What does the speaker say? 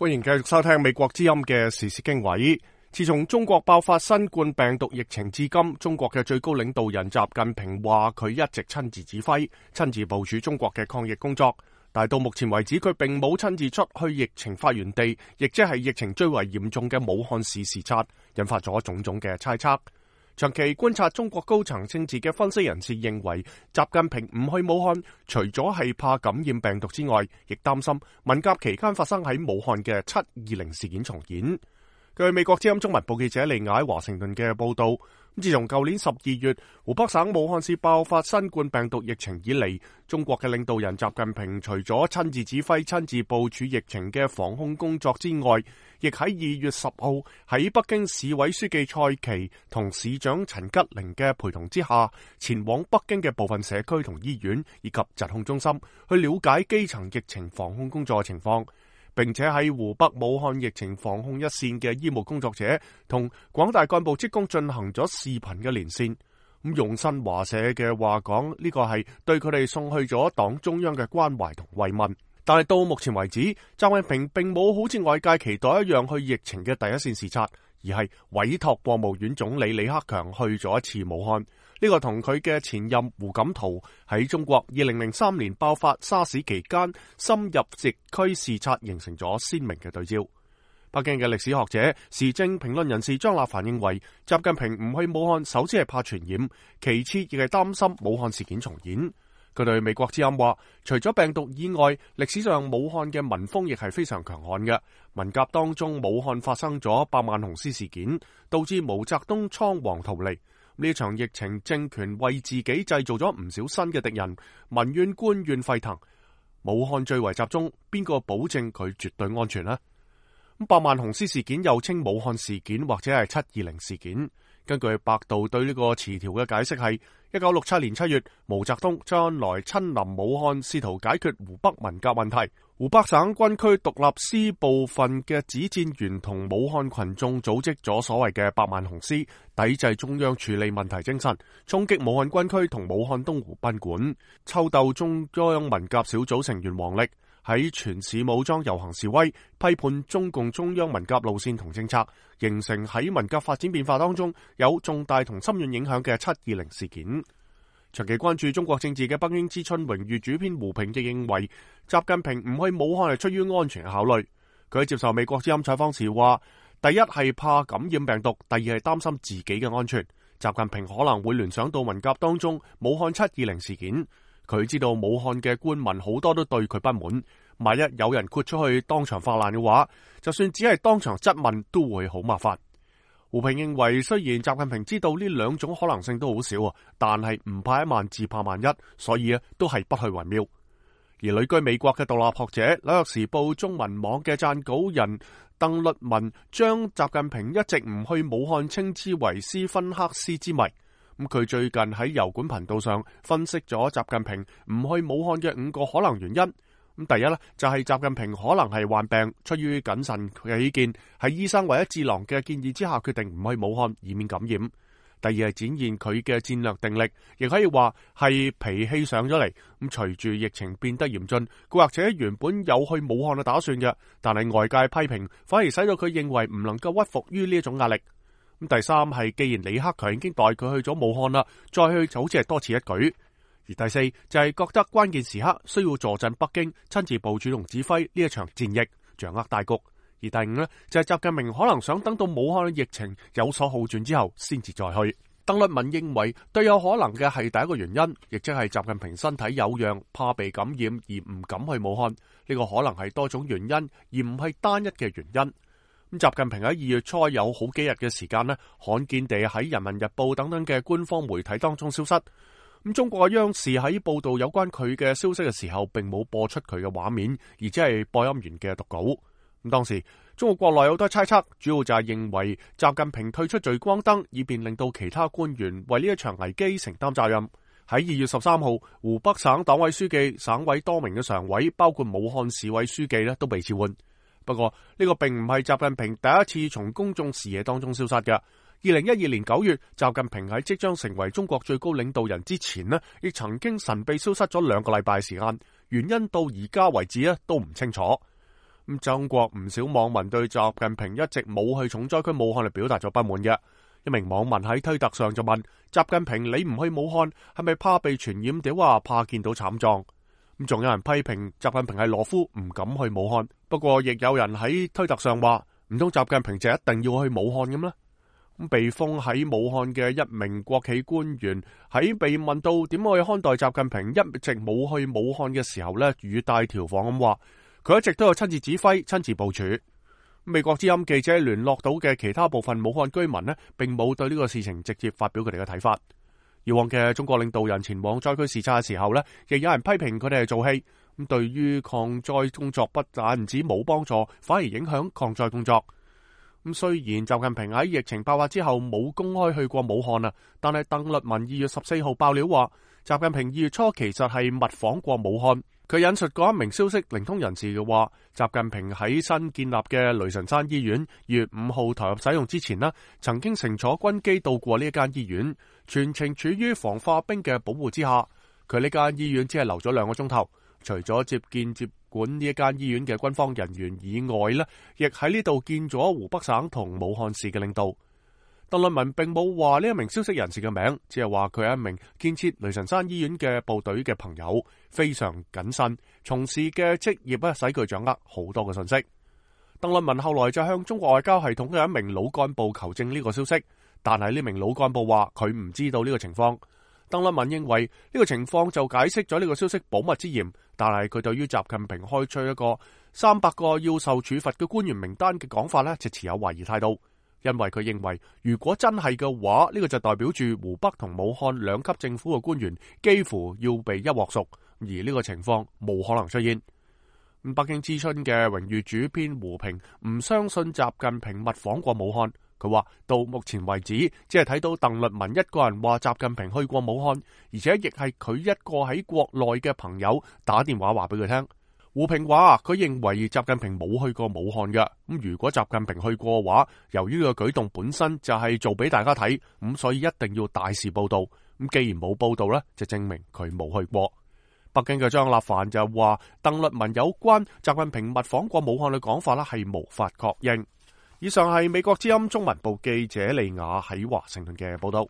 歡迎繼續收聽美國之音嘅時事經緯。自從中國爆發新冠病毒疫情至今，中國嘅最高領導人習近平話佢一直親自指揮、親自部署中國嘅抗疫工作，但係到目前為止，佢並冇親自出去疫情發源地，亦即係疫情最為嚴重嘅武漢市視察，引發咗種種嘅猜測。長期觀察中國高層政治嘅分析人士認為，習近平唔去武漢，除咗係怕感染病毒之外，亦擔心文革期間發生喺武漢嘅720事件重演。據美國之音中文部記者利亞喺華盛頓嘅報道，自從舊年12月湖北省武漢市爆發新冠病毒疫情以嚟，中國嘅領導人習近平除咗親自指揮、親自部署疫情嘅防控工作之外，亦喺2月10號喺北京市委書記蔡奇同市長陳吉寧嘅陪同之下，前往北京嘅部分社區同醫院以及疾控中心去了解基層疫情防控工作嘅情況，並且喺湖北武漢疫情防控一線嘅醫務工作者同廣大幹部職工進行咗視頻嘅連線。咁用新華社嘅話講，呢個係對佢哋送去咗黨中央嘅關懷同慰問。但係到目前為止，習近平並冇好似外界期待一樣去疫情嘅第一線視察，而係委託國務院總理李克強去咗一次武漢。呢個同佢嘅前任胡錦濤喺中國2003年爆發沙士期間深入疫區視察形成咗鮮明嘅對照。北京嘅歷史學者、時政評論人士張立凡認為，習近平唔去武漢，首先係怕傳染，其次亦係擔心武漢事件重演。佢對美國之音話，除咗病毒以外，歷史上武漢嘅民風亦係非常強悍嘅。文革當中，武漢發生咗百萬雄師事件，導致毛澤東倉皇逃離。呢場疫情，政權為自己製造咗唔少新嘅敵人，民怨官怨沸騰。武漢最為集中，邊個保證佢絕對安全呢？百萬雄師事件又稱武漢事件或者係720事件。根據百度對呢個詞條嘅解釋係，1967年7月，毛澤東周恩來親臨武漢，試圖解決湖北文革問題。湖北省軍區獨立師部分嘅指戰員同武漢群眾組織咗所謂嘅百萬雄師，抵制中央處理問題精神，衝擊武漢軍區同武漢東湖賓館，抽鬥中央文革小組成員王力，喺全市武裝遊行示威，批判中共中央文革路線同政策，形成喺文革發展變化當中有重大同深遠影響嘅720事件。長期關注中國政治嘅北京之春榮譽主編胡平亦認為，習近平唔去武漢係出於安全嘅考慮。佢喺接受美國之音採訪時話，第一係怕感染病毒，第二係擔心自己嘅安全。習近平可能會聯想到文革當中武漢720事件。佢知道武漢嘅官民好多都對佢不滿，萬一有人豁出去當場發難嘅話，就算只係當場質問都會好麻煩。胡平認為，雖然習近平知道呢兩種可能性都好少啊，但係唔怕一萬自怕萬一，所以都係不去為妙。而旅居美國嘅獨立學者、紐約時報中文網嘅撰稿人鄧律文將習近平一直唔去武漢稱之為斯芬克斯之謎。佢最近喺油管頻道上分析咗習近平唔去武漢嘅5個可能原因。第一呢，就係習近平可能係患病，出於謹慎起見，喺醫生或者智囊嘅建議之下決定唔去武漢，以免感染。第二係展現佢嘅戰略定力，亦可以話係脾氣上咗嚟。隨住疫情變得嚴峻，佢或者原本有去武漢嘅打算嘅，但係外界批評反而使到佢認為唔能夠屈服於呢一種壓力。第三係既然李克強已經帶佢去咗武漢啦，再去就好似係多此一舉。而第四就係覺得關鍵時刻需要坐鎮北京，親自部署同指揮呢一場戰役，掌握大局。而第五呢，就係習近平可能想等到武漢嘅疫情有所好轉之後先至再去。鄧律文認為最有可能嘅係第一個原因，亦即係習近平身體有恙，怕被感染而唔敢去武漢。呢個可能係多種原因，而唔係單一嘅原因。習近平喺2月初有好幾日嘅時間呢，罕見地喺人民日報等等嘅官方媒體當中消失。中國嘅央視喺報道有關佢嘅消息嘅時候，並冇播出佢嘅畫面，而只係播音員嘅讀稿。當時中國國內有好多猜測，主要就係認為習近平退出聚光燈，以便令到其他官員為呢一場危機承擔責任。喺2月13號，湖北省黨委書記、省委多名嘅常委，包括武漢市委書記都被召喚。不過呢個並唔係習近平第一次從公眾視野當中消失嘅。2012年9月，習近平喺即將成為中國最高領導人之前亦曾經神秘消失咗2個禮拜時間，原因到而家為止都唔清楚。咁中國唔少網民對習近平一直冇去重災區武漢嚟表達咗不滿嘅。一名網民喺推特上就問習近平：你唔去武漢係咪怕被傳染？定話怕見到慘狀？咁仲有人批評習近平係懦夫，唔敢去武漢。不過亦有人喺推特上話：唔通習近平就一定要去武漢咁呢？咁被封喺武漢嘅一名國企官員喺被問到點去看待習近平一直冇去武漢嘅時候呢，語帶調侃咁話：佢一直都有親自指揮、親自部署。美國之音記者聯絡到嘅其他部分武漢居民呢，並冇對呢個事情直接發表佢哋嘅睇法。以往嘅中國領導人前往災區視察嘅時候呢，亦有人批評佢哋係做戲。咁對於抗災工作不但唔止冇幫助，反而影響抗災工作。咁雖然習近平喺疫情爆發之後冇公開去過武漢啊，但係鄧律文2月14號爆料話，習近平2月初其實係密訪過武漢。佢引述過一名消息靈通人士嘅話，習近平喺新建立嘅雷神山醫院2月5號投入使用之前呢，曾經乘坐軍機到過呢一間醫院，全程處於防化兵嘅保護之下。佢呢間醫院只係留咗2個鐘頭，除咗接見接管呢一間醫院嘅軍方人員以外呢，亦喺呢度見咗湖北省同武漢市嘅領導。鄧律文並冇話呢一名消息人士嘅名，只係話佢係一名建設雷神山醫院嘅部隊嘅朋友，非常謹慎，從事嘅職業使佢掌握好多嘅信息。鄧律文後來就向中國外交系統嘅一名老幹部求證呢個消息，但係呢名老幹部話佢唔知道呢個情況。鄧律文認為呢個情況就解釋咗呢個消息保密之嫌，但係佢對於習近平開出一個300個要受處罰嘅官員名單嘅講法呢，就持有懷疑態度。因為佢認為，如果真係嘅話，呢個就代表住湖北同武漢2級政府嘅官員幾乎要被一鑊熟，而呢個情況冇可能出現。北京之春嘅榮譽主編胡平唔相信習近平密訪過武漢，佢話到目前為止，只係睇到鄧律文一個人話習近平去過武漢，而且亦係佢一個喺國內嘅朋友打電話話俾佢聽。胡平話佢認為習近平冇去過武漢嘅，咁如果習近平去過嘅話，由於呢個舉動本身就係做俾大家睇，咁所以一定要大肆報道。咁既然冇報道呢，就證明佢冇去過。北京嘅張立凡就話鄧律文有關習近平密訪過武漢嘅講法係無法確認。以上係美國之音中文部記者利亞喺華盛頓嘅報道。